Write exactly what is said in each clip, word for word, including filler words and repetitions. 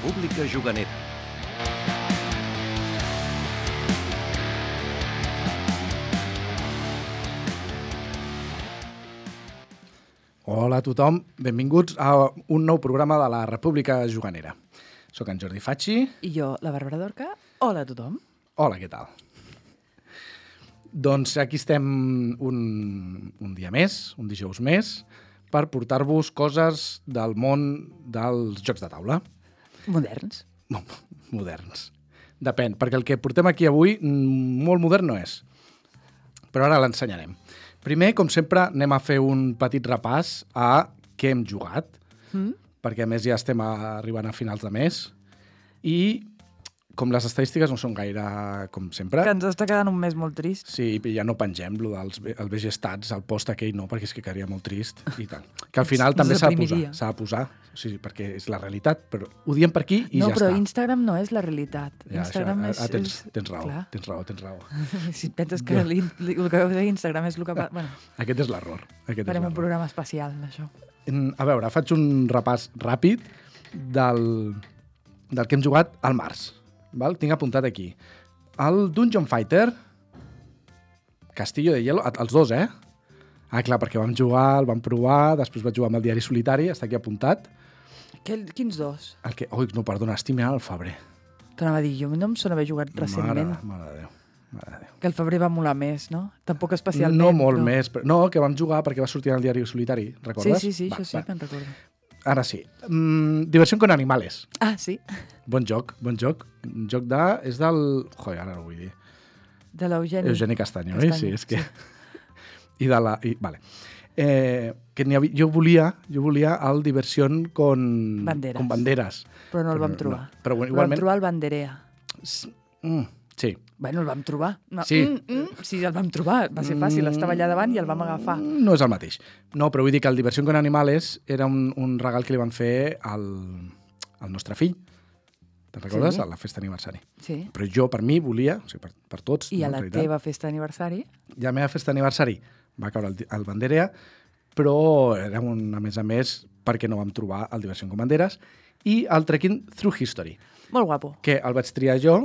República Juganera. Hola a tothom, benvinguts a un nou programa de la República Juganera. Soc en Jordi Facci. I jo, la Bàrbara Dorca. Hola a tothom. Hola, què tal? Doncs aquí estem un, un dia més, un dijous més, per portar-vos coses del món dels jocs de taula. Moderns. Moderns. Depèn, perquè el que portem aquí avui molt modern no és. Però ara l'ensenyarem. Primer, com sempre, anem a fer un petit repàs a què hem jugat, mm. perquè a més ja estem arribant a finals de mes, i com les estadístiques no són gaire com sempre... Que ens està quedant un mes molt trist. Sí, i ja no pengem lo dels el B G Stats, el post aquell no, perquè és que quedaria molt trist i tant. Que al final també s'ha de posar, s'ha de posar, sí, perquè és la realitat, però ho diem per aquí i no, ja està. No, però Instagram no és la realitat. Ja, Instagram això, és... ah, tens, és... tens raó, Clar. tens raó, tens raó. Si penses que li, li, el que veus a Instagram és el que... Bueno, aquest és l'error. Farem un programa especial d'això. A veure, faig un repàs ràpid del, del que hem jugat al març. Val? Tinc apuntat aquí. El Dungeon Fighter, Castillo de Hielo, els dos, eh? Ah, clar, perquè vam jugar, el vam provar, després vaig jugar amb el Diari Solitari, està aquí apuntat. Que, quins dos? El que, oi, no, perdona, estic mirant el febrer. T'anava a dir, jo no em sona haver jugat recentment. Mare, mare de Déu, mare de Déu. Que el febrer va molar més, no? Tampoc especialment. No molt però... més, però, no, que vam jugar perquè va sortir en el Diari Solitari, recordes? Sí, sí, sí, va, això sí, va. me'n recordo. Ara sí. Mm, Diversión con animales. Ah, sí? Bon joc, bon joc. Un joc de... És del... Joder, ara no ho vull dir. De l'Eugeni. Eugeni Castanyo, Castanyo, eh? Sí, és que... Sí. I de la... I, vale. Eh, que n'hi havia, jo volia jo volia el Diversión con... Banderas. Con banderas. Però no el però, vam trobar. No. Però, Però igualment... vam trobar el Banderea. Mm, sí. Bueno, el vam trobar. No, sí. Mm, mm, sí, el vam trobar. Va ser fàcil. Estava allà davant i el vam agafar. No és el mateix. No, però vull dir que el Diversión con Animales era un, un regal que li van fer al, al nostre fill. Te'n recordes? Sí. A la festa d'aniversari. Sí. Però jo, per mi, volia, o sigui, per, per tots... I no, a la teva festa d'aniversari? I a la meva festa d'aniversari va caure el, el Banderea, però era un, a més a més, perquè no vam trobar el Diversión con Banderas, i el Trekking Through History. Molt guapo. Que el vaig triar jo.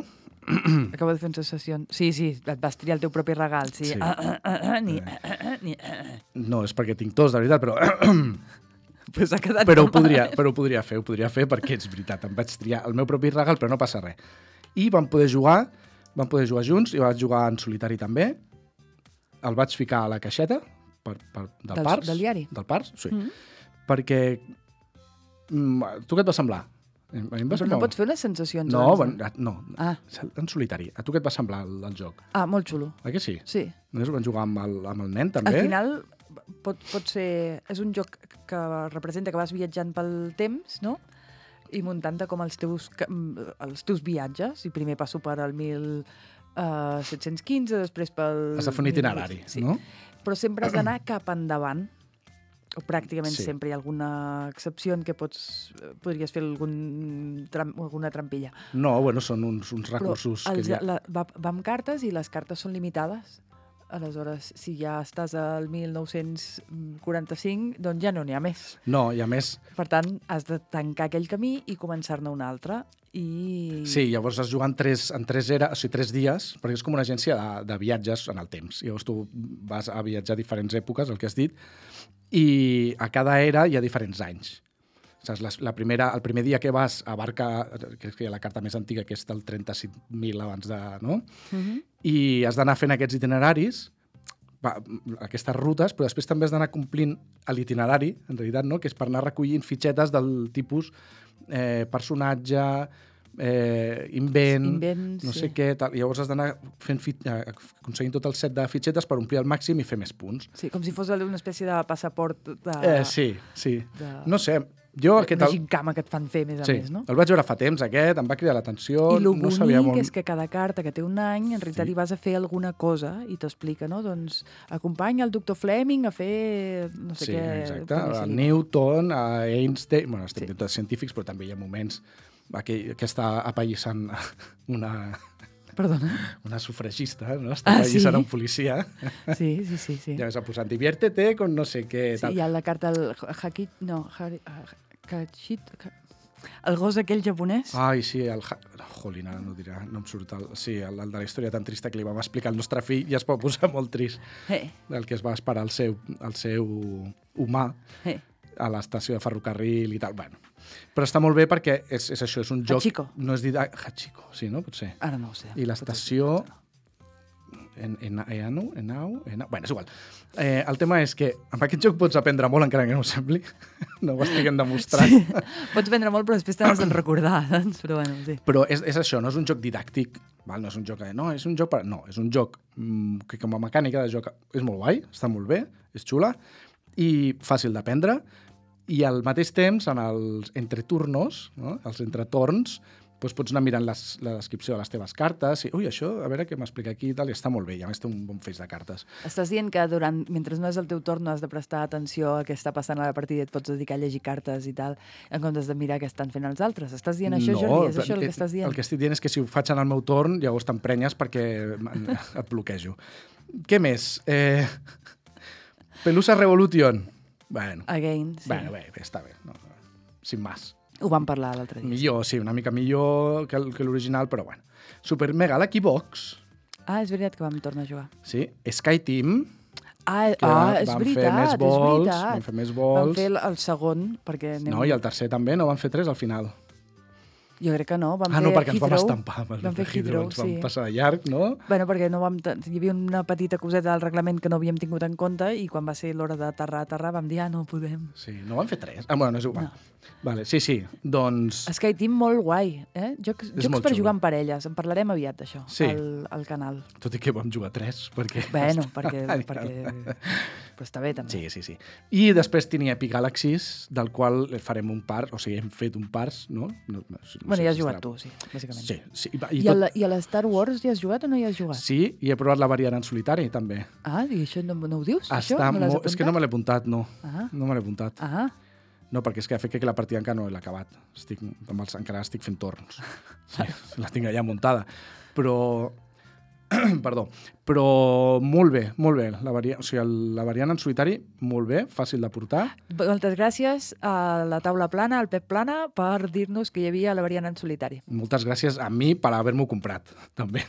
Acabo de fer una sessió. Sí, sí, et vas triar el teu propi regal. Sí. Sí. Ah, ah, ah, ah, ni, ah, ah, ni, ah. No, és perquè tinc tos, de veritat, però... pues ha quedat però, ho podria, però ho podria fer, ho podria fer perquè és veritat. Em vaig triar el meu propi regal, però no passa res. I vam poder jugar, vam poder jugar junts, i vaig jugar en solitari també. El vaig ficar a la caixeta per, per, del, del Pars. Del diari? Del Pars, sí. Mm-hmm. Perquè... Tu què et va semblar? A mi em va Però semblar... no pots fer unes sensacions No, abans, no, no ah. en solitari. A tu què et va semblar el, el joc? Ah, molt xulo. Ah, que sí? Sí. Només ho van jugar amb el, amb el nen, també? Al final, pot, pot ser... És un joc que representa que vas viatjant pel temps, no? I muntant-te com els teus, els teus viatges. I primer passo per al mil set-cents quinze, després pel... Has de fer un itinerari, sí. no? Però sempre has d'anar cap endavant. O pràcticament sí. sempre hi ha alguna excepció en què pots, podries fer algun tram, alguna trampilla. No, bueno, són uns, uns recursos... Però els, que ja... la, va, va amb cartes i les cartes són limitades. Aleshores, si ja estàs al mil nou-cents quaranta-cinc, doncs ja no n'hi ha més. No, i a més... Per tant, has de tancar aquell camí i començar-ne un altre. I... Sí, llavors has jugat en tres, en tres, era, o sigui, tres dies, perquè és com una agència de, de viatges en el temps. Llavors tu vas a viatjar a diferents èpoques, el que has dit, i a cada era hi ha diferents anys. Saps? La, la primera, el primer dia que vas abarca, que és la carta més antiga, que és del trenta-cinc mil abans de... No? Uh-huh. I has d'anar fent aquests itineraris, va, aquestes rutes, però després també has d'anar complint l'itinerari, en realitat, no? Que és per anar recollint fitxetes del tipus eh, personatge, eh, invent, Invents, no sé sí. què, tal. I llavors has d'anar fent fit, eh, aconseguint tot el set de fitxetes per omplir al màxim i fer més punts. Sí, com si fos una espècie de passaport de... Eh, sí, sí. De... No sé, jo aquest... Una gincama que et fan fer, més a sí, més, no? el vaig veure fa temps, aquest, em va cridar l'atenció. I el no bonic sabia molt... és que cada carta que té un any, en realitat Sí. hi vas a fer alguna cosa i t'explica, no? Doncs acompanya el doctor Fleming a fer no sé sí, què... exacte, a Newton, a Einstein... Bueno, estem Sí. sí. tots científics, però també hi ha moments que, que està apallissant una... Perdona? Una sufragista, no? Està Ah, apallissant sí? un policia. Sí, sí, sí. sí. Ja s'ha posat, diviértete con no sé què... Sí, Tal. hi ha la carta del Hakit... No, Hachit... El gos aquell japonès? Ai, sí, el... Jolín, ara no dirà, no em surt el... Sí, el, el de la història tan trista que li vam explicar al nostre fill i es pot posar molt trist. Eh. El que es va esperar el seu, el seu humà Eh. a l'estació de ferrocarril i tal. Bueno, però està molt bé perquè és, és això, és un joc... Hachiko. No és didàctic... Hachiko, sí, no? Potser. Ara no ho sé. I l'estació... En, en, Enau, Enau, Enau... Bueno, és igual. Eh, el tema és que amb aquest joc pots aprendre molt, encara que no ho sembli. No ho estiguem demostrant. Sí. Pots vendre molt, però després t'has de recordar, doncs. Però bueno, sí. Però és, és això, no és un joc didàctic. Val? No és un joc... De, no, és un joc per... No, és un joc mmm, que com a mecànica de joc és molt guai, està molt bé, és xula, i fàcil d'aprendre, i al mateix temps, en els entreturnos, no? Els entretorns, doncs pots anar mirant les, la descripció de les teves cartes i, ui, això, a veure què m'explica aquí i tal, i està molt bé, i a més té un bon feix de cartes. Estàs dient que durant, mentre no és el teu torn no has de prestar atenció a què està passant a la partida i et pots dedicar a llegir cartes i tal, en comptes de mirar què estan fent els altres. Estàs dient això, no, Jordi? És això el que estàs dient? El que estic dient és que si ho faig en el meu torn, llavors t'emprenyes perquè et bloquejo. Què més? Eh... Pelusa Revolution. Bueno, Again, sí. bueno bé, bé, està bé. No, sin más. Ho vam parlar l'altre dia. Millor, sí, una mica millor que, que l'original, però bueno. Super Mega Lucky Box. Ah, és veritat que vam tornar a jugar. Sí, Sky Team. Ah, que ah és van veritat, fer més és vols, veritat. van fer més vols. Vam fer el, el segon, perquè... Anem... No, i el tercer també, no van fer tres al final. Jo crec que no, vam ah, fer no, perquè ens Heathrow. vam estampar. Vam fer Heathrow, ens sí. vam passar de llarg, no? Bueno, perquè no vam hi havia una petita coseta del reglament que no havíem tingut en compte i quan va ser l'hora d'aterrar, aterrar, vam dir, ah, no podem. Sí, no van fer tres. Ah, bueno, no és igual. No. Vale, sí, sí, doncs... Sky Team molt guai, eh? Jocs, És jocs molt per xulo. jugar en parelles. En parlarem aviat d'això, Sí. al, al canal. Tot i que vam jugar tres, perquè... Bueno, perquè... perquè... Però està bé, també. Sí, sí, sí. I després tenia Epic Galaxies, del qual farem un par, o sigui, hem fet un pars, no? no, no, no Bueno, sé ja has si jugat estarà- tu, sí, bàsicament. Sí, sí. I, I, i a tot... la, I a la Star Wars hi has jugat o no hi has jugat? Sí, i he provat la variant en solitari, també. Ah, i això no, no ho dius? això? Està No l'has molt... És que no me l'he apuntat, no. Ah. No me l'he apuntat. Ah, No, perquè és que crec que la partida encara no l'he acabat. Estic, amb els, encara estic fent torns. Sí, la tinc allà muntada. Però... Perdó. Però molt bé, molt bé. La, varia... o sigui, el, la variant en solitari, molt bé, fàcil de portar. moltes gràcies a la taula plana, al Pep Plana, per dir-nos que hi havia la variant en solitari. Moltes gràcies a mi per haver-m'ho comprat, també.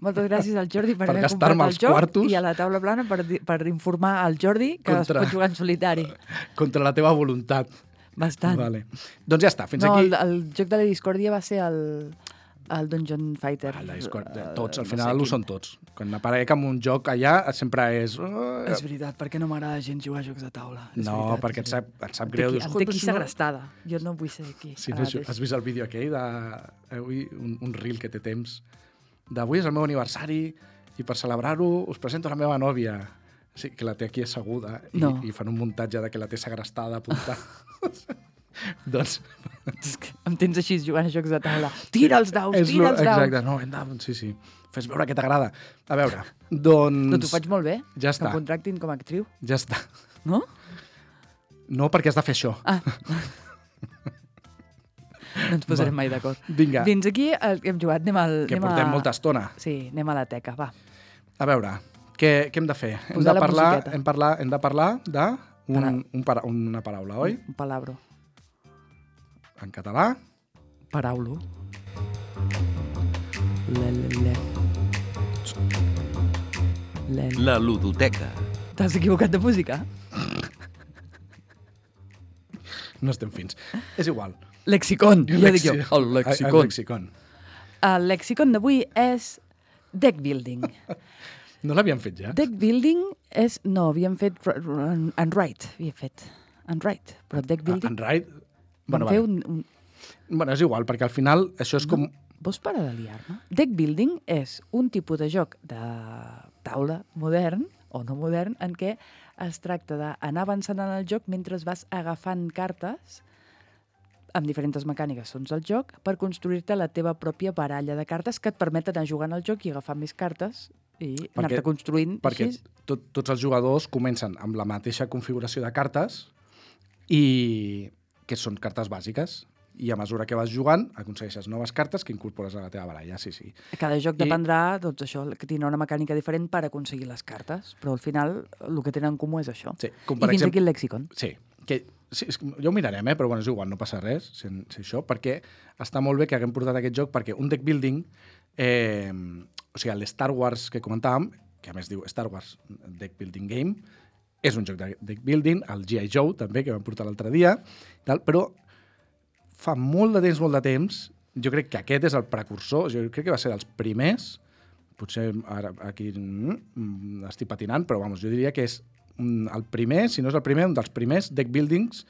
Moltes gràcies al Jordi per, Per haver gastar-me comprat el els joc quartos. i a la taula plana per, di- per informar al Jordi que Contra- es pot jugar en solitari. Contra la teva voluntat. Bastant. Vale. Doncs ja està, fins no, aquí... el, el joc de la discòrdia va ser el, el Dungeon Fighter. Ah, la Discord, Eh, tots, al no final sé ho quin. són tots. Quan aparec amb un joc allà, sempre és... És veritat, perquè no m'agrada gens jugar a jocs de taula. És No, veritat, perquè és et sap, veritat. et sap Em té greu. aquí- Dius, Em "Joder, té aquí però si no-" segrestada. Jo no vull ser aquí. Sí, ara no, mateix. has vist el vídeo aquell de... Avui, un, un reel que té temps. D'avui és el meu aniversari i per celebrar-ho us presento la meva nòvia. Sí, que la té aquí asseguda i, No. i fan un muntatge de que la té segrestada, apuntada. Doncs... És que em tens així jugant a jocs de taula. Tira els daus, és tira lo- els daus. Exacte, no, hem de... Sí, sí. Fes veure que t'agrada. A veure, doncs... No, t'ho faig molt bé. Ja Que està. em contractin com a actriu. Ja està. No? No, perquè has de fer això. Ah. No ens posarem mai d'acord. Vinga, Fins aquí el que hem jugat. Anem, al, que anem portem a... molta estona. Sí, anem a la teca, va. A veure, què, què hem de fer? Hem Posar de la parlar, musiqueta. hem, parlar, hem de parlar de un, Para- un para, una paraula, oi? Un palabro. En català. Paraulo. Le, le, le. Le, le. La ludoteca. T'has equivocat de música? No estem fins. És igual. Lexicon. Ja dic jo. Lexi- El El lexicon. lexicon. El lexicon d'avui és deck building. No l'havíem fet ja? Deck building és... No, havíem fet... Unwrite, havíem fet. Unwrite. Però deck building... En right? Vam Bueno, fer vale. un, un... bueno, és igual, perquè al final això és com... Vols parar de liar-me? Deck building és un tipus de joc de taula modern, o no modern, en què es tracta d'anar avançant en el joc mentre vas agafant cartes amb diferents mecàniques segons el joc per construir-te la teva pròpia baralla de cartes que et permeten anar jugant al joc i agafar més cartes i anar-te construint Perquè així. tot, tots els jugadors comencen amb la mateixa configuració de cartes i que són cartes bàsiques. I a mesura que vas jugant, aconsegueixes noves cartes que incorpores a la teva baralla, sí, sí. Cada joc I- dependrà, doncs això, que tindrà una mecànica diferent per aconseguir les cartes, però al final el que tenen en comú és això. Sí, com I per fins exemple... aquí el lexicon. Sí, que sí, és, que ja ho mirarem, eh? Però bueno, és igual, no passa res, si, si això, perquè està molt bé que haguem portat aquest joc, perquè un deck building, eh, o sigui, l'Star Wars que comentàvem, que a més diu Star Wars Deck Building Game, és un joc de deck building, el G I. Joe també, que vam portar l'altre dia, tal, però fa molt de temps, molt de temps, jo crec que aquest és el precursor, jo crec que va ser dels primers, potser ara aquí mm, estic patinant, però vamos, jo diria que és el primer, si no és el primer, un dels primers deck buildings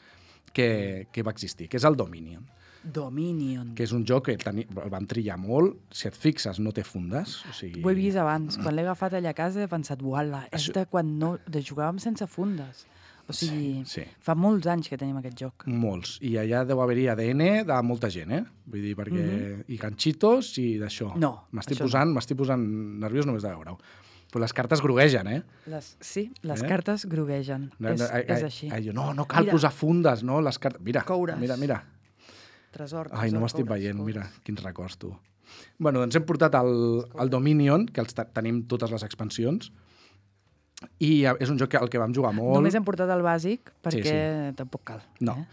que, que va existir, que és el Dominion. Dominion. Que és un joc que teni, el vam trillar molt. Si et fixes, no té fundes. O sigui... Ho he vist abans. Quan l'he agafat allà a casa he pensat, uala, és Això... de quan no, de jugàvem sense fundes. O sigui, sí, sí. fa molts anys que tenim aquest joc. Molts. I allà deu haver-hi A D N de molta gent, eh? Vull dir, perquè... Mm-hmm. I ganxitos i d'això. No, M'estic això posant, no. m'estic posant nerviós només de veure-ho. Però les cartes groguegen, eh? Les, sí, les Eh? cartes groguegen. No, és, no, ai, és ai, així. ai, no, no cal Mira. posar fundes, no? Les cartes... Mira, Coures. mira, mira. Tresor, tresor, Ai, no m'estic coures, veient, coures. mira, quins records, tu. Bueno, doncs hem portat el, el Dominion, que els ta- tenim totes les expansions, i és un joc que, al que vam jugar molt. Només hem portat el bàsic perquè Sí, tampoc cal. No. Eh?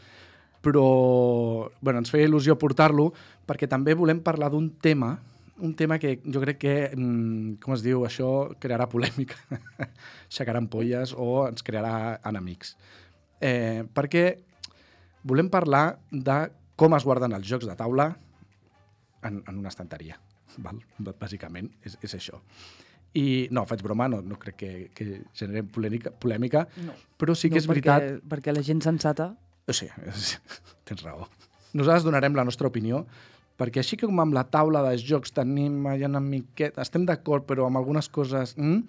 Però bueno, ens feia il·lusió portar-lo perquè també volem parlar d'un tema, un tema que jo crec que, mm, com es diu, això crearà polèmica, aixecarà ampolles o ens crearà enemics. Eh, perquè volem parlar de com es guarden els jocs de taula en, en una estanteria, val? Bàsicament, és, és això. I no, faig broma, no, no crec que, que generem polèmica, polèmica No. però sí que no, és veritat... Perquè, perquè la gent sensata... O sigui, tens raó. Nosaltres donarem la nostra opinió, perquè així que com amb la taula de jocs tenim allà una miqueta... Estem d'acord, però amb algunes coses... Mm,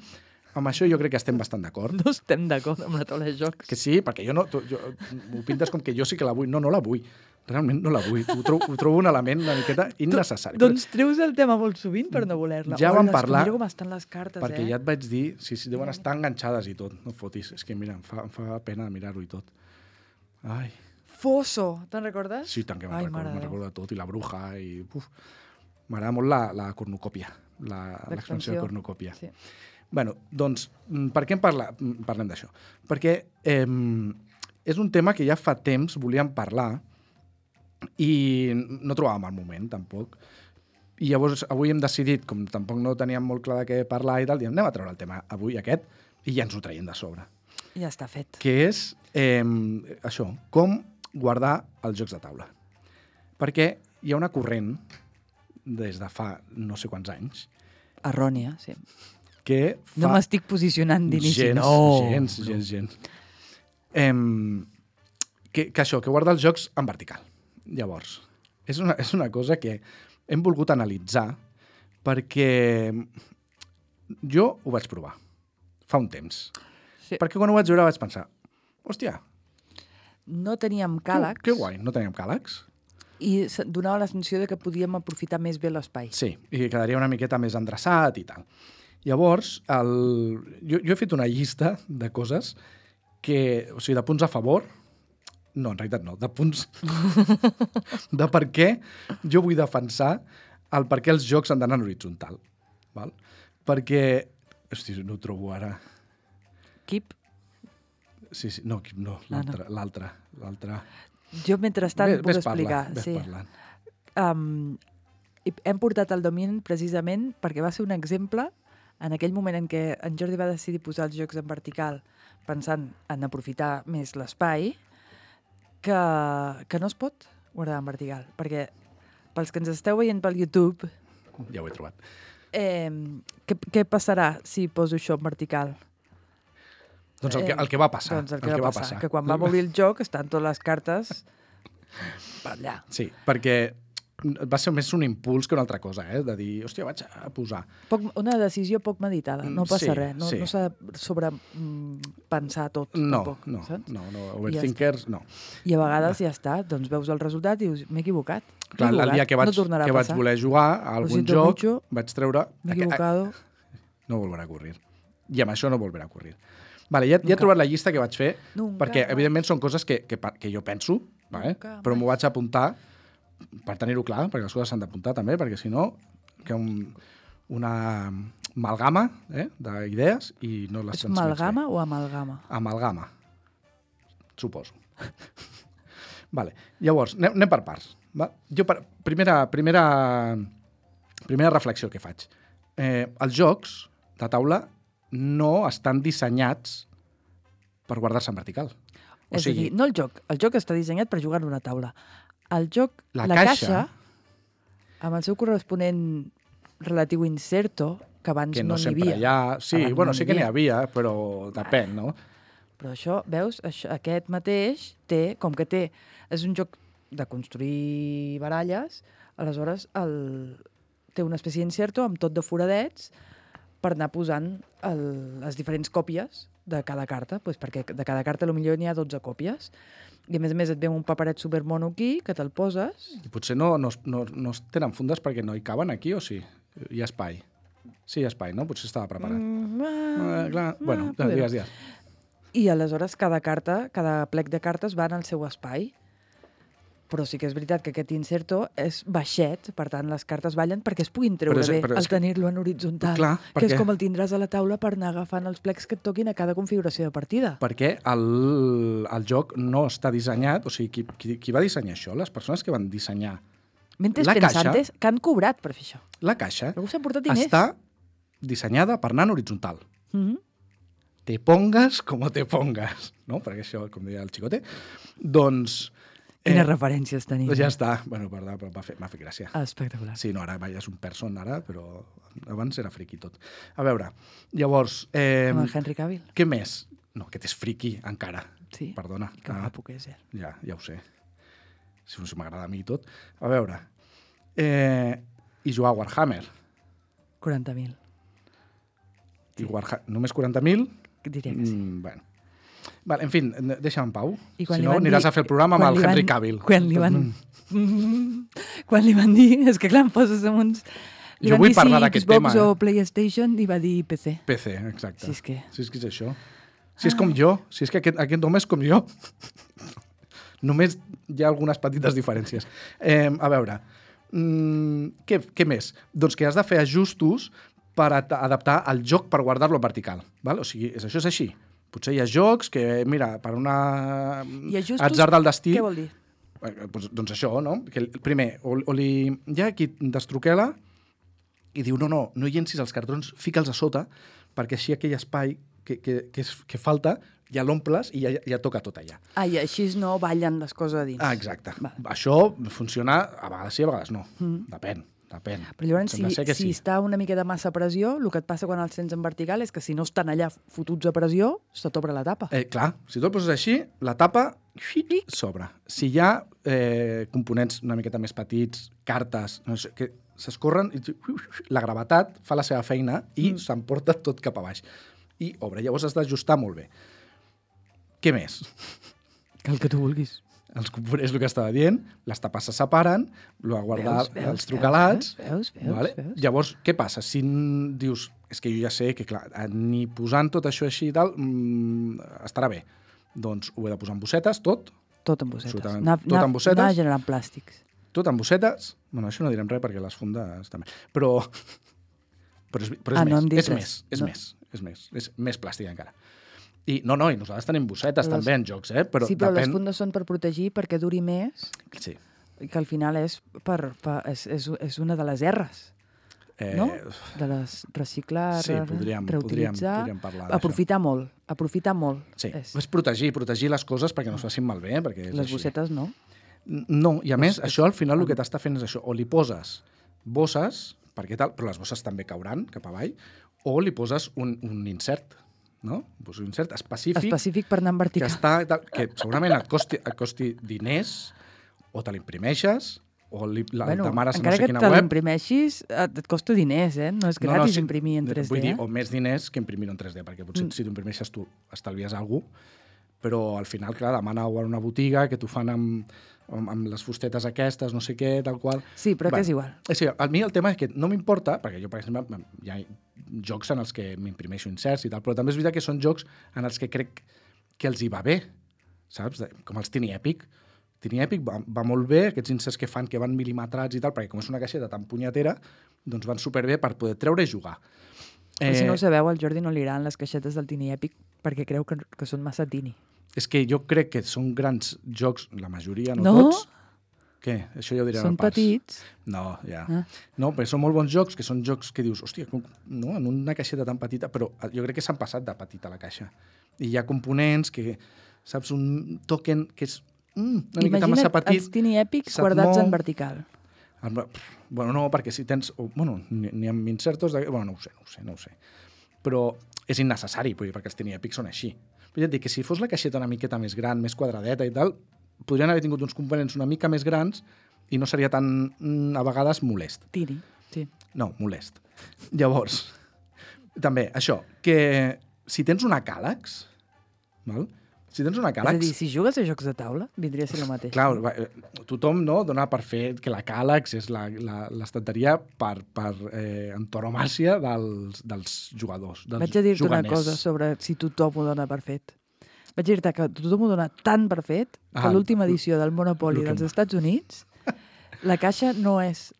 amb això jo crec que estem bastant d'acord. No estem d'acord amb la taula de jocs. Que sí, perquè jo no... Tu, jo, ho pintes com que jo sí que la vull. No, no la vull. Realment no la vull. Ho trobo, ho trobo un element una miqueta innecessari. Doncs treus el tema molt sovint per no voler-la. Ja vam Hola, parlar... Mira com estan les cartes, perquè eh? ja et vaig dir... Sí, sí, deuen estar enganxades i tot. No fotis. És que, mira, em fa, em fa pena mirar-ho i tot. Ai... Fosso, te'n recordes? Sí, tant que me'n Ai, recordo, mare me'n de Déu. recordo de tot, i la bruja, i... Uf, m'agrada molt la, la cornucòpia, la- l'expansió de cornucòpia. Sí. Bueno, doncs, mm, per què en parla, mm, parlem d'això? Perquè eh, és un tema que ja fa temps volíem parlar i no trobàvem el moment, tampoc. I llavors avui hem decidit, com tampoc no teníem molt clar de què parlar i tal, diem, anem a treure el tema avui aquest i ja ens ho traiem de sobre. Ja està fet. Que és eh, això, com guardar els jocs de taula. Perquè hi ha una corrent des de fa no sé quants anys Errònia, sí. que fa... No m'estic posicionant d'inici. Gens, No. gens, gens, gens. Em, que, que això, que guarda els jocs en vertical. Llavors, és una, és una cosa que hem volgut analitzar perquè jo ho vaig provar fa un temps. Sí. Perquè quan ho vaig veure vaig pensar, hòstia, No teníem que, càlegs que guai, no teníem càlegs. i se- donava la sensació de que podíem aprofitar més bé l'espai. Sí, i quedaria una miqueta més endreçat i tal. Llavors, el... jo, jo he fet una llista de coses que, o sigui, de punts a favor, no, en realitat no, de punts de per què jo vull defensar el per què els jocs han d'anar en horitzontal. Val? Perquè, hosti, no ho trobo ara. Keep. Sí, sí, no, no, Ah, no. l'altre, l'altre, l'altre. Jo, mentrestant, Ves- puc ves explicar. parlant, ves sí. parlant. Um, i hem portat el Dominion precisament perquè va ser un exemple en aquell moment en què en Jordi va decidir posar els jocs en vertical pensant en aprofitar més l'espai que, que no es pot guardar en vertical. Perquè pels que ens esteu veient pel YouTube, Ja ho he trobat. eh, què, què passarà si poso això en vertical? Doncs el que, Eh, el que va passar. Doncs el que, va, passar, que quan va obrir el joc estan totes les cartes per allà. Sí, perquè va ser més un impuls que una altra cosa, eh? De dir, hòstia, vaig a posar. Poc, una decisió poc meditada, no Mm, passa sí, res, no, sí. no s'ha de sobrepensar tot. No, tampoc, no, saps? no, no, overthinkers, no. I a vegades ja està, doncs veus el resultat i dius, m'he equivocat. m'he Clar, el equivocat, dia que vaig, no tornarà que a vaig passar. voler jugar a algun siento joc, mucho. vaig treure... M'he aqu- equivocado. No volverà a ocurrir. I amb això no volverà a ocurrir. Vale, ja, ja he Nunca. trobat la llista que vaig fer, Nunca perquè, más. evidentment, són coses que, que, pa- que jo penso, vale? Nunca però m'ho más. vaig apuntar per tenir-ho clar, perquè les coses s'han d'apuntar també, perquè si no, que un, una amalgama eh, d'idees i no les És transmets bé. amalgama o amalgama? Amalgama. suposo. Vale. Llavors, anem, anem per parts. Va? Jo, per, primera, primera, primera reflexió que faig. Eh, els jocs de taula no estan dissenyats per guardar-se en vertical. O És sigui, a dir, no el joc. El joc està dissenyat per jugar en una taula. El joc, La la, caixa- caixa, amb el seu corresponent relatiu inserto, que abans que no no n'hi sempre havia. hi ha... Sí, Abans bueno, no sí n'hi que n'hi havia. havia, però depèn, no? Però això, veus, això, aquest mateix té, com que té, és un joc de construir baralles, aleshores el, té una espècie d'inserto amb tot de foradets per anar posant el, les diferents còpies de cada carta, pues perquè de cada carta potser n'hi ha dotze còpies. I a més a més et ve un paperet supermono aquí, que te'l poses. I potser no, no, no, no es tenen fundes perquè no hi caben aquí, o sí? Hi ha espai. Sí, hi ha espai, no? Potser estava preparat. Mm, Ah, clar. ah, Bueno, poder. digues, digues. I aleshores cada carta, cada plec de cartes va en el seu espai. Però sí que és veritat que aquest inserto és baixet, per tant les cartes ballen perquè es puguin treure Però és- bé però és al que- tenir-lo en horitzontal. Clar, que perquè- és com el tindràs a la taula per anar agafant els plecs que et toquin a cada configuració de partida. Perquè el, el joc no està dissenyat, o sigui, qui, qui, qui va dissenyar això? Les persones que van dissenyar Mentes La pensantes que han cobrat per fer això. la caixa Algú s'ha portat diners. està dissenyada per anar en horitzontal. Mm -hmm. Te pongas como te pongas, no? Perquè això, com deia el xicote, doncs... Quines referències tenim. Doncs ja està. Bueno, perdó, però m'ha fet, m'ha fet gràcia. Ah, espectacular. Sí, no, ara vaja, és un person ara, però abans era friqui tot. A veure, llavors... Eh, Com el Henry Cavill. què més? No, aquest és friqui encara. Sí. Perdona. Que guapo que és, eh? Ja, ja ho sé. Si no m'agrada a mi i tot. A veure, eh, i jugar a Warhammer. quaranta mil. I Warha només quaranta mil? Diria que sí. Mm, bueno. Vale, en fi, deixa'm en pau. I quan Si li no, van aniràs dir- a fer el programa amb quan el li Henry van- Cavill. Quan li van... quan li van dir... És que clar, em poses amb uns... Li Jo van vull dir parlar si d'aquest Xbox tema, eh? o PlayStation i va dir P C. P C, exacte. Si és que- Si és que és això. Si és com jo, si és que aquest, aquest home és com jo. Només hi ha algunes petites diferències. Eh, a veure, mm, què, què més? Doncs que has de fer ajustos per ad- adaptar el joc per guardar-lo en vertical. Val? O sigui, és, això és així. Potser hi ha jocs que, mira, per una I ajustos, atzar del destí... què vol dir? Eh, Doncs, doncs això, no? Que el- primer, o, o li, hi ha qui destruquela i diu, no, no, no llencis els cartrons, fica'ls a sota, perquè així aquell espai que, que, que, és, que falta ja l'omples i ja, ja toca tot allà. Ah, i així no ballen les coses a dins. Ah, exacte. Va. Això funciona a vegades sí, a vegades no. Mm. Depèn, depèn. Però llavors, si, Sembla ser que si sí. està una mica de massa pressió, el que et passa quan els tens en vertical és que si no estan allà fotuts a pressió, se t'obre la tapa. Eh, clar, si tu el poses així, la tapa s'obre. Si hi ha eh, components una miqueta més petits, cartes, no sé, que s'escorren, i la gravetat fa la seva feina i mm. s'emporta tot cap a baix. I obre. Llavors has d'ajustar molt bé. Què més? Que el que tu vulguis. Els components, el que estava dient, les tapes se separen, lo a guardar Veus, veus, els trucalats... veus, veus, vale? veus. Llavors, què passa? Si n- dius, és que jo ja sé que, clar, ni posant tot això així i tal, mmm, estarà bé. Doncs ho he de posar en bossetes, tot, Tot amb bossetes. Absolutament. Anar, Tot anar, amb bossetes. anar generant plàstics. tot en bossetes. Bueno, això no direm res perquè les fundes també. Però, però és, però és Ah, no més, hem dit és res. més, és No. més, és més, és més plàstic encara. I no, no, i nosaltres tenim bossetes Les- també en jocs, eh? Però sí, però depèn... les fundes són per protegir perquè duri més Sí. i que al final és, per, per, és, és, és una de les R's, Eh, no? De les reciclar, Sí, podríem, podríem, reutilitzar, podríem parlar d'això. aprofitar molt, aprofitar molt. Sí, És. és protegir, protegir les coses perquè no es facin malbé, perquè és Les així. bossetes no. No, i a més, És- és- això al final el que t'està fent és això, o li poses bosses, perquè tal, però les bosses també cauran cap avall, o li poses un, un insert, no? Pues un insert específic, Específic per anar en que, vertical. està, tal, que segurament et costi, et costi diners, o te l'imprimeixes, o li, la bueno, demanes a no encara sé que quina te web. l'imprimeixis, et, et costa diners, eh? No és gratis sí, imprimir en tres D. Vull dir, eh? o més diners que imprimir en tres D, perquè potser Mm. si t'ho imprimeixes tu estalvies alguna cosa, però al final, clar, demana-ho a una botiga que t'ho fan amb, amb, amb les fustetes aquestes, no sé què, tal qual. Sí, però Bueno, que és igual. És a dir, a mi el tema és que no m'importa, perquè jo, per exemple, hi ha jocs en els que m'imprimeixo inserts i tal, però també és veritat que són jocs en els que crec que els hi va bé, saps? De- Com els Tiny Epic. Tiny Epic va, va molt bé, aquests inserts que fan que van mil·limetrats i tal, perquè com és una caixeta tan punyetera, doncs van superbé per poder treure i jugar. Eh... Si no ho sabeu, al Jordi no li agraden les caixetes del Tiny Epic perquè creu que, que són massa tini. És que jo crec que són grans jocs, la majoria, no, No? tots. Què? Això ja ho diré Són al pas. petits. No, ja. Ah. No, però són molt bons jocs, que són jocs que dius, hòstia, com, no, en una caixeta tan petita, però jo crec que s'han passat de petita la caixa. I hi ha components que, saps, un token que és mm, una miqueta massa Imagina't petit. els Tiny Epics se't guardats mou. en vertical. Amb- Bueno, no, perquè si tens... o, Bueno, ni, ni amb insertos... De, bueno, no ho sé, no ho sé, no ho sé. Però és innecessari, vull dir, perquè els Tiny Epics són així. Però ja et dic que si fos la caixeta una miqueta més gran, més quadradeta i tal, podrien haver tingut uns components una mica més grans i no seria tan, mm, a vegades, molest. Tini, sí. No, molest. Llavors, també, això, que si tens una càlex, val? Si tens una És a càlex... dir, si jugues a jocs de taula, vindria a ser el mateix. Clar, va, eh, tothom no, dona per fet que la càlex és la- la- l'estanteria per, per eh, antonomàcia dels, dels jugadors, dels Vaig a dir-te una juganers. cosa sobre si tothom ho dona per fet. Vaig dir-te que tothom ho dona tan per fet que Ah, l'última edició del Monopoly el que- dels Estats Units, la caixa no és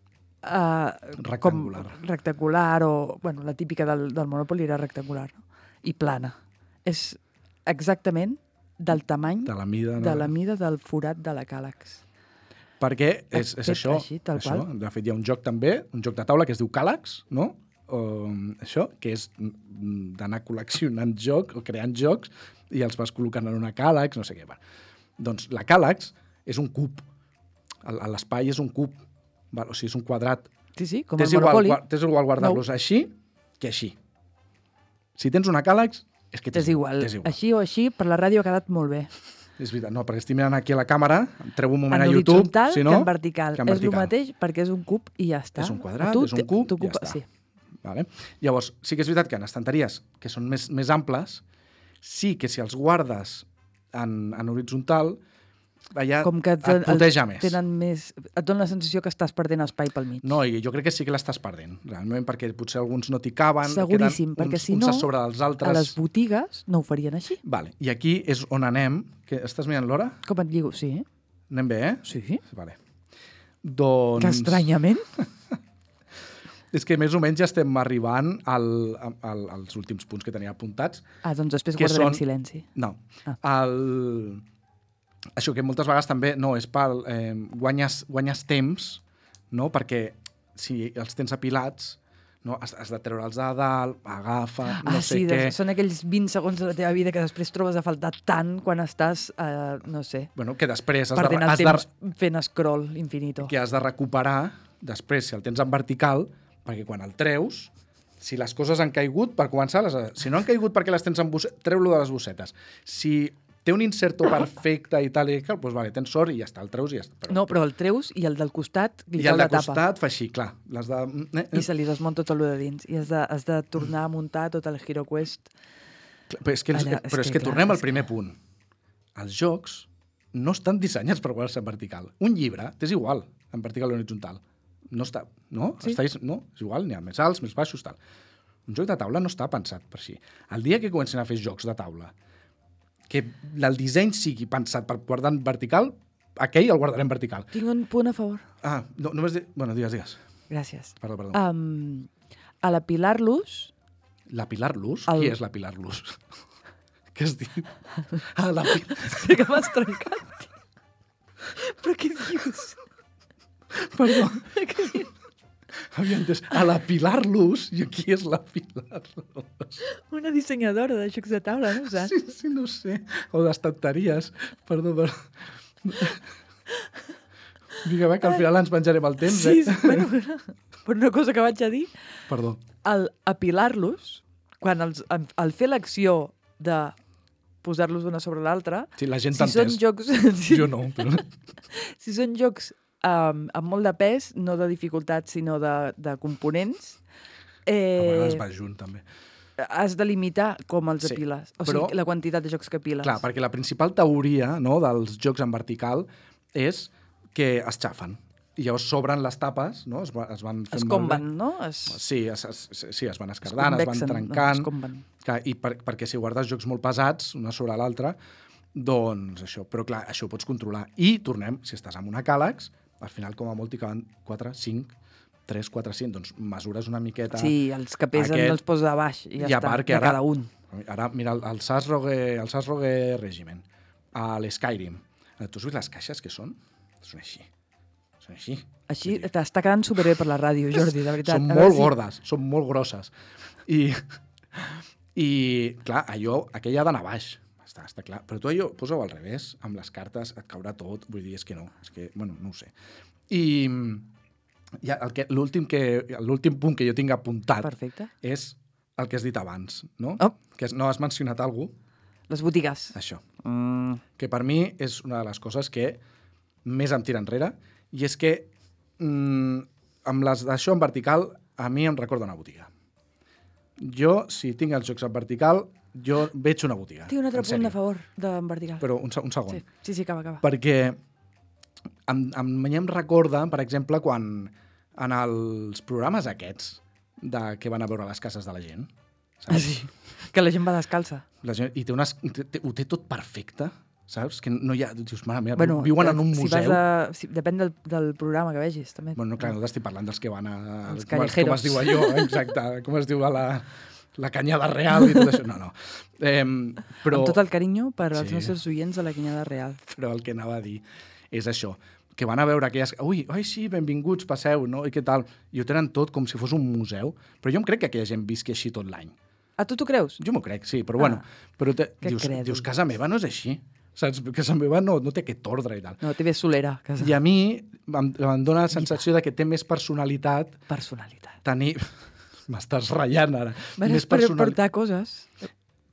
uh, Rectangular. Com rectangular o... Bueno, la típica del, del Monopoly era rectangular, no? I plana. És exactament del tamany, De la mida, no? de la mida del forat de la càlex. Perquè és, és Fet això, així, tal això. qual. De fet, hi ha un joc també, un joc de taula que es diu Càlex, no? O, això, que és mm, d'anar col·leccionant jocs o creant jocs i els vas col·locant en una càlex, no sé què. Va. Doncs la càlex és un cub. El- L'espai és un cub. Val? O sigui, és un quadrat. Sí, sí, com T'és el igual, Monopoly. gua- t'és igual guardar-los així que així. Si tens una càlex, és que T'és igual. t'és igual. Així o així, per la ràdio ha quedat molt bé. És veritat, no, perquè estic mirant aquí a la càmera, em treu un moment En a YouTube, horitzontal si no... que en vertical. que en És el vertical. mateix perquè és un cub i ja està. És un quadrat, A tu és un te- cub, ja t'ocupa- està. Sí. Vale? Llavors, sí que és veritat que en estanteries que són més, més amples, sí que si els guardes en, en horitzontal, allà Com que et puteja més. tenen més... Et dona la sensació que estàs perdent espai pel mig. No, i jo crec que sí que l'estàs perdent, realment, perquè potser alguns no t'hi caben, Seguríssim, queden perquè uns, si uns no, a sobre dels altres. A les botigues no ho farien així. Vale. I aquí és on anem. Que estàs mirant l'hora? Com et lligo? Sí. Anem bé, eh? Sí. Vale. Doncs... Que estranyament. És que més o menys ja estem arribant al, al, als últims punts que tenia apuntats. Ah, doncs després Que guardarem són- silenci. No. Ah. El... Això que moltes vegades també no és pel... Eh, guanyes, guanyes temps, no? Perquè si els tens apilats, no? has, has de treure'ls de dalt, agafa, no ah, sé sí, què... de, són aquells vint segons de la teva vida que després trobes a faltar tant quan estàs, eh, no sé, Bueno, que després has de, perdent el has de, temps fent scroll infinito. que has de recuperar després, si el tens en vertical, perquè quan el treus, si les coses han caigut, per començar, les, si no han caigut perquè les tens en bossetes, treu-lo de les bossetes. Si té un inserto perfecte i tal, i tal, doncs vale, tens sort i ja està, el treus i ja està. Però, No, però el treus i el del costat li I cau el de la tapa. costat fa així, clar. Les de... Eh, eh. I se li desmunta tot el de dins. I has de, has de tornar a muntar tot el Hero Quest. Però és que, els, Allà, és però és que, que clar, tornem és al primer punt. Els jocs no estan dissenyats per guardar-se en vertical. Un llibre t'és igual, en vertical o horitzontal. No està, no? Sí. Està, no, és igual, n'hi ha més alts, més baixos, tal. Un joc de taula no està pensat per així. El dia que comencin a fer jocs de taula, que el disseny sigui pensat per guardar en vertical, aquell el guardarem vertical. Tinc un punt a favor. Ah, no, només... De... Bueno, digues, digues. Gràcies. Perdó, perdó. Um, a la Pilar-los, La Pilar Luz? el- Qui és la Pilar Luz? Què has dit? Ah, la Pilar... que m'has trencat, tio. Però què dius? Perdó. Havia entès. A la Pilar Luz, i qui és la Pilar Luz? Una dissenyadora de jocs de taula, no ho saps? Sí, sí, no ho sé. O d'estanteries. Perdó, perdó. Vinga, va, que al final ens menjarem el temps, Sí, eh? sí, bueno, però una cosa que vaig a dir, Perdó. al apilar-los, quan els, al, al fer l'acció de posar-los una sobre l'altra, Sí, la gent si t'ha són entès. jocs, Jo no, però... si són jocs um, amb molt de pes, no de dificultat, sinó de, de components, A vegades eh, va junt, també. has de limitar com els Sí, apiles. O però- sigui, la quantitat de jocs que apiles. Clar, perquè la principal teoria, no, dels jocs en vertical és que es xafen. I llavors s'obren les tapes, no? Es, va- es van fent Es malbé. comben, no? Es, Sí, es, es, sí, es van escardant, es, van convexen, trencant. No, es comben. Clar, I per, perquè si guardes jocs molt pesats, una sobre l'altra, doncs això. Però clar, això ho pots controlar. I tornem, si estàs amb una càlex, al final com a molt hi caben quatre, cinc, tres, quatre, cinc, doncs mesures una miqueta. Sí, els que pesen Aquest- els posa a baix i ja I a està, part que de ara- cada un. Ara, mira, el, el Sasrogue, el Sasrogue Regiment. a l'Skyrim. Tu has vist les caixes que són? Són així. Són així. Així t'està quedant superbé per la ràdio, Jordi, de veritat. Són molt gordes, són molt grosses. I, i clar, allò, aquella ha d'anar baix. Està, està clar. Però tu allò, posa-ho al revés, amb les cartes et caurà tot. Vull dir, és que no. És que, bueno, no ho sé. I ja, el que, l'últim, que, l'últim punt que jo tinc apuntat Perfecte. És el que has dit abans, no? Oh. Que no has mencionat algú. Les botigues. Això. Mm. Que per mi és una de les coses que més em tira enrere, i és que mm, amb les d'això en vertical, a mi em recorda una botiga. Jo, si tinc els jocs en vertical, jo veig una botiga. Tinc un altre punt a favor d'en vertical. Però un, un segon. Sí, sí, sí, acaba, acaba. Perquè em, em, em recorda, per exemple, quan en els programes aquests de que van a veure les cases de la gent, saps? Ah, sí. Que la gent va descalça. La gent, I té unes, té, ho té tot perfecte, saps? Que no hi ha... Dius, mare meva, Bueno, viuen en un si museu. Vas a, si, depèn del, del programa que vegis, també. Bueno, no, clar, no t'estic parlant dels que van a... Els com, es, com es diu callejeros. allò, exacte, com es diu a la, la Canyada Real i tot això. No, no. Eh, però, Amb tot el carinyo per als Sí. nostres oients de la Canyada Real. però el que anava a dir és això, que van a veure aquelles... Ui, ai, sí, benvinguts, passeu, no? I què tal? I ho tenen tot com si fos un museu. Però jo em crec que aquella gent visqui així tot l'any. A tu t'ho creus? Jo m'ho crec, sí, però Ah, bueno. Però te, que dius, crèdul. dius, casa meva no és així. Saps? Casa meva no, no té aquest ordre i tal. No, té bé solera. Casa. I a mi em, em dóna la sensació de que té més personalitat Personalitat. tenir... M'estàs ratllant ara. Bueno, més és per personal- portar coses.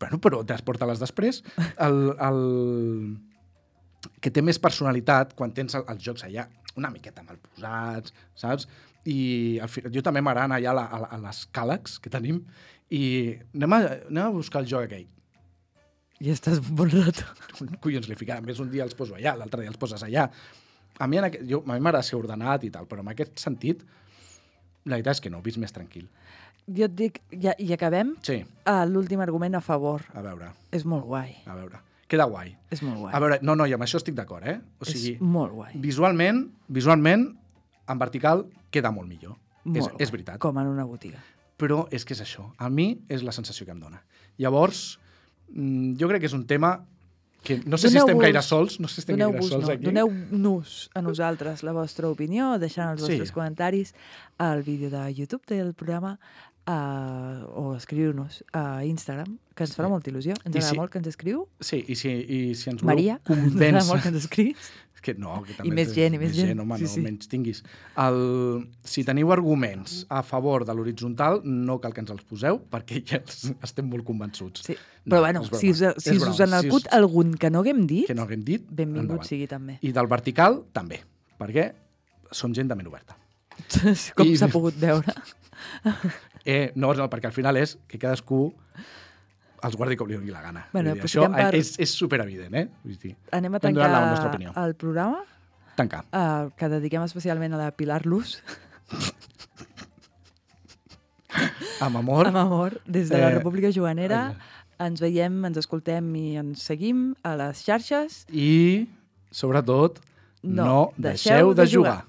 Bueno, però transporta-les després. El, el... Que té més personalitat quan tens el, els jocs allà una miqueta mal posats, saps? I al fi, jo també m'agrada anar allà a, la, a, a les càlegs que tenim i anem a, anem a buscar el joc aquell. I estàs un bon rato. Collons, li ficarà. A més, un dia els poso allà, l'altre dia els poses allà. A mi, en aquest, jo, a mi m'agrada ser ordenat i tal, però en aquest sentit, la veritat és que no, ho visc més tranquil. Jo et dic, ja, i acabem, Sí, uh, l'últim argument a favor. a veure, És molt guai. a veure. Queda guai. És molt guai. A veure, no, no, i amb això estic d'acord, eh? O sigui, és molt guai. visualment, visualment, en vertical, queda molt millor. Molt és, guai. és veritat. Com en una botiga. Però és que és això. A mi és la sensació que em dona. Llavors, mm, jo crec que és un tema que no sé si estem Doneu-vos- gaire sols, no sé si estem gaire Doneu-vos, sols no, aquí. doneu-nos a nosaltres la vostra opinió, deixant els Sí. vostres comentaris al vídeo de YouTube del programa uh, o escriu-nos a Instagram, que ens farà molta il·lusió. Ens I agrada si- molt que ens escriu. Sí, i si, i si ens voleu Maria, ens agrada molt convèncer... que ens escrius. És que no, que I també més és- gent, i més gent. home, Sí, no, sí. menys tinguis. El, si teniu arguments a favor de l'horitzontal, no cal que ens els poseu, perquè ja els, estem molt convençuts. Sí. No, Però bueno, és broma. si us, si És us broma. en Si acut us- algun que no haguem dit, que no haguem dit, benvingut endavant. sigui també. I del vertical, també, perquè som gent de ment oberta. Com I- s'ha pogut veure. Eh, no, no, perquè al final és que cadascú els guardi com li doni la gana. Bueno, Vull dir, això aprofitem per- és, és superevident, eh? Vull dir, Anem a hem donat la nostra tancar opinió. el programa, tancar. uh, que dediquem especialment a la Pilar Luz, Amb amor. amb amor, des de la Eh, República Joanera. ai. Ens veiem, ens escoltem i ens seguim a les xarxes. I, sobretot, No no, deixeu de jugar.